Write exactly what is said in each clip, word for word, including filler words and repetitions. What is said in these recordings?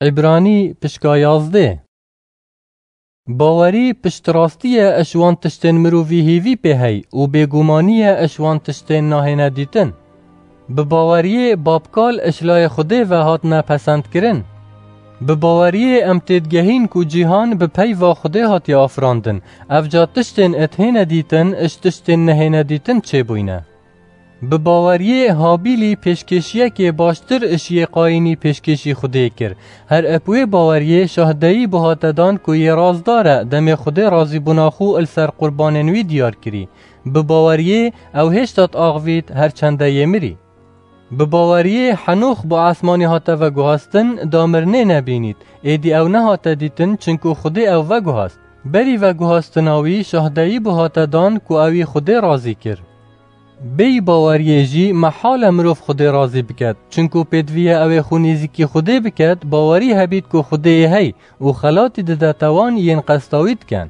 Îbranî pişka yazdê. Bawerî piştrastî ye ji wan tiştên mirovî hêvî pê hey û bêgumanî ye ji wan tiştên nahêne dîtin. Bi baweriyê babkal ji layê Xwedê ve hatine pesendkirin. Bi baweriyê em têdigehîn ku cîhan bi peyva Xwedê hatiye afirandin. Evca tiştên ethêne dîtin ji tiştên nehêne dîtin çêbûyne. Bi baweriyê Habîlî pêşkêşiyekê baştir ji yê Qayînî pêşkêşî Xwedê kir. Her eb wê baweriyê şahdeyî bû hate dan ku yê razdar e, demê Xwedê razîbûna xwe li ser qurbanên wî diyar kirî. Bi baweriyê ew hêşta diaxivît, her çende yê mirî. Bi baweriyê Henox bi esmanî hate veguhastin, da mirinê nebînît. Êdî ew nehate dîtin, çinku Xwedê ew veguhast. Berî veguhastina wî şahdeyî bû hate dan ku ewî Xwedê razî kir. Bêyî baweriyê jî mehal e mirov Xwedê razî biket, çinku pêdiviye ew ê xwe nêzîkî Xwedê biket, bawerî hebît ku Xwedê yê hey û xelatî didete wan yên qesta wî dikin.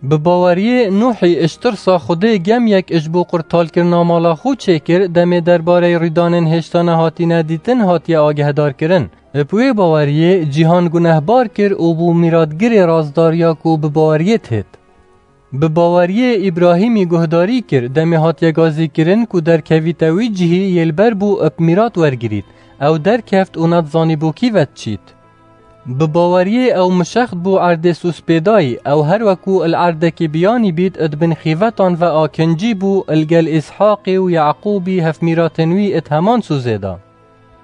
Bi baweriyê Nuhî ji tirsa Xwedê gemyek ji bo qurtalkirina mala xwe çêkir, demê derbareyê rûdanên hêşta nehatîne dîtin hatiye agehdarkirin. Bi wê baweriyê cîhan gunehbar kir û bû mîratgirê razdariya ku bi baweriyê dihêt. Bi baweriyê Îbrahîmî guhdarî kir, demê hatiye gazîkirin ku derkevîte wî cihî yê li ber bû bi mîrat wergirît. Ew derkeft û nedizanîbû kî ve diçît. Bi baweriyê ew mişext bû erdê Sûspêdayî, ew her wekû li erdekî biyanî bît, di bin xîvetan ve akincî bû, li gel Îshaqî û Yaqûbî hevmîratên wî di heman sûzê de.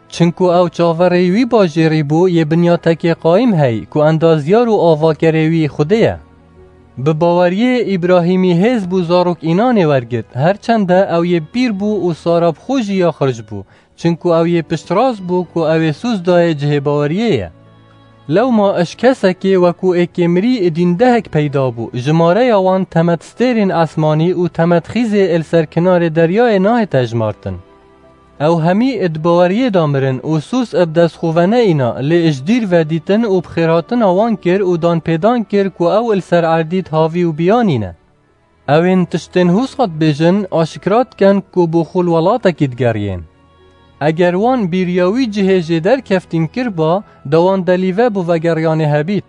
Çinku ew çaverêyî wî bajêrî bû yê binyatekê qayîm hey, ku endazyar û avakerê wî Xwedê ye. Bi baweriyê Îbrahîmî hêz bû zarok înanê wergirt, her çende ew yê pîr bû û Sara bi xwe jî ya xirc bû, çinku ew yê piştrast bû ku ew ê sûz dayê cihê baweriyê ye. Lewma ji kesekê wekû êkê mirî dîndehek peyda bû, jimareya wan temet stêrên esmanî û temet xîzê li ser kinarê deryayê nahête jimartin. Ew hemî di baweriyê de mirin û sûs bi dest xwe ve neîna, lê ji dîr ve dîtin û bi xêrhatina wan kir û danpêdan kir ku ew li ser erdî di havî û biyanî ne. Ewên tiştên hûsa dibêjin, aşikra dikin ku bo xwe li welatekî digeriyên. Eger wan bîriya wî cihê jê derkeftîn kiriba, da wan delîve bo vegeriyanê hebît.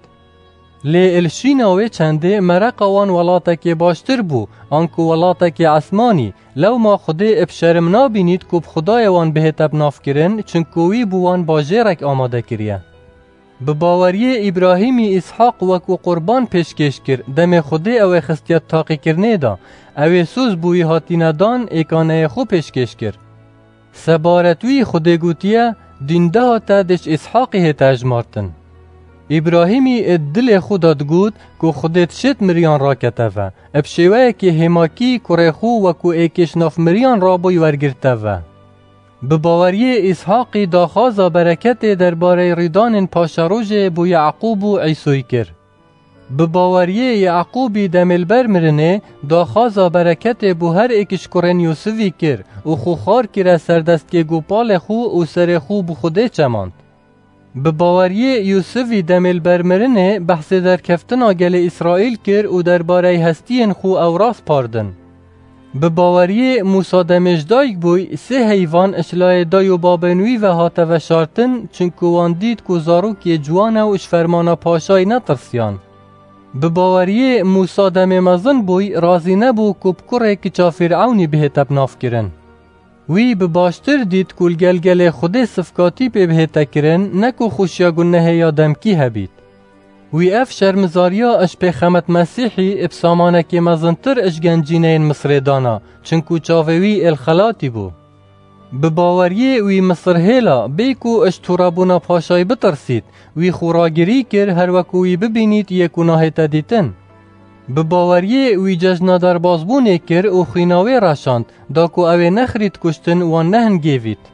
Lê li şîna wê çendê mereqa wan welatekê baştir bû, anku welatekê esmanî, lewma Xwedê bi şerim nabînît ku bi Xwedayê wan bihête binavkirin, çinku wî bo wan bajêrek amade kiriye. Bi baweriyê Îbrahîmî Îshaq wekû qurban pêşkêş kir, demê Xwedê ew ê xistiye taqîkirinê de, ew ê sûz bo wî hatîne dan, êkaneyê xwe pêşkêş kir. Sebaret wî Xwedê gotiye, dîndeha te dê ji Îshaqî hête hejmartin. Îbrahîmî ê dilê xwe de digot ku Xwedê dişêt miriyan rakete ve, bi şêweyekê hêmakî kurê xwe wekû êkê ji nav miriyan rabûy wergirte ve. Bi baweriyê Îshaqî daxwaza bereketê derbareyê rûdanên paşerojê bo Yaqûb û Îsoyî kir. Bi baweriyê Yaqûbî demê li ber mirinê, daxwaza bereketê bo her êk ji kurên Yûsivî kir û xwe xwar kire ser destgê gopalê xwe û serê xwe bi Xwedê çemand. Bi baweriyê Yûsivî demê li ber mirinê behsê derkeftina gelê Îsraîl kir û derbareyê hestiyên xwe ew raspardin. Bi baweriyê Mûsa demê ji dayik bûy, sê heyvan ji layê dayî û babên wî ve hate veşartin, çinku wan dît ku zarokê ciwan e û ji fermana paşayî netirsiyan. Bi baweriyê Mûsa demê mezin bûy, razî nebû ku bi kurê kiça Fîrewnî bihête binavkirin. Wî bi baştir dît ku li gel gelê Xwedê sifkatî pê bihête kirin, ne ku xweşiya gunehê ya demkî hebît. Wî ev şermizariya ji pêxemet Mesîhî bi samanekê mezintir ji gencîneyên Misrê dana, çinku çavê wî ê li xelatî bû. Bi baweriyê wî Misir hêla, bê ku ji tûrebûna paşayî bitirsît, wî xwe ragirî kir, her wekû wî bibînît yê ku nahête dîtin. Bi baweriyê wî cejna derbazbûnê kir û xwîna wê reşand, da ku ew ê nexirît kuştin wan nehingêvît.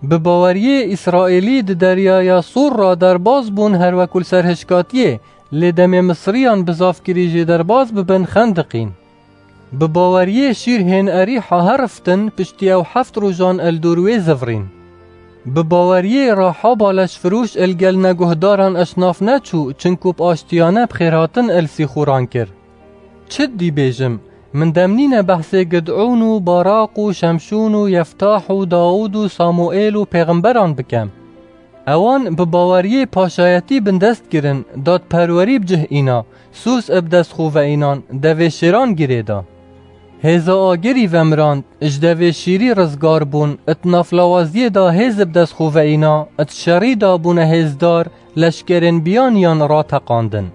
Bi baweriyê Îsraîlî di deryaya Sûr re derbaz bûn her wekû li ser hişkatiyê, lê demê Misriyan bizav kirî jê derbaz bibin xendiqîn. Bi baweriyê şîr hên Erîha heriftin, piştî ew heft rojan li dor wê zivirîn. Bi baweriyê Rahaba leşfiroş li gel neguhdaran ji nav neçû, çinku bi aştiyane bi xêrhatin li Sîxûran kir. Çi dî bêjim? Min dem nîne behsê Gid'ûn û Baraq û Şemşûn û Yeftah û Dawûd û Samuêl û pêxemberan bikem. Ewan bi baweriyê paşayetî bindest kirin, dadperwerî bi cih îna, Sûs ib dest xwe ve înan, devê şêran girê da. Hêza agirî vemirand, ji devê şîrî rizgar bûn, it naflawaziyê da hêz ib dest xwe ve îna, it şerî da bûne hêzdar, leşkerên biyaniyan rateqandin.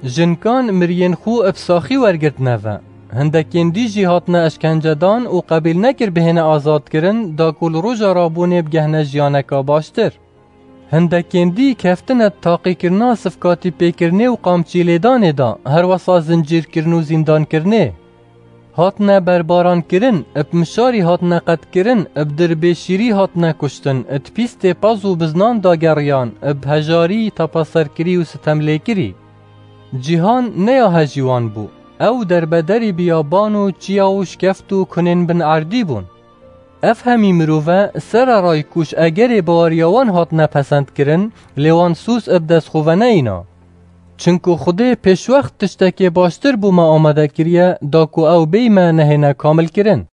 Jinkan miriyên xwe ib saxî wergirtine ve. Hindekên dî jî hatine eşkencedan û qebîl nekir bihêne azadkirin, da ku li roja rabûnê bigehne jiyaneka baştir. Hindekên dî keftine taqîkirina sifkatî pêkirinê û qamçî lêdanê de, herwesa zincîrkirin û zîndankirinê. Hatine berbarankirin, ib mişarî hatine qetkirin, ib dirbê şîrî hatine kuştin, id pîstê pez û biznan dageriyan, ib hejarî, tepeserkirî û sitemlêkirî. Cîhan ne ya hejî wan bû. Ew derbederî biyaban û çiya û şkeft û kunên bin erdî bûn. Ev hemî mirove sererayî ku ji egerê baweriya wan hatine pesend kirin, lê wan Sûs ib dest xwe ve neyîna. Çinku Xwedê pêşwext tiştekê baştir bo me amade kiriye, da ku ew bêyî me nehêne kamilkirin.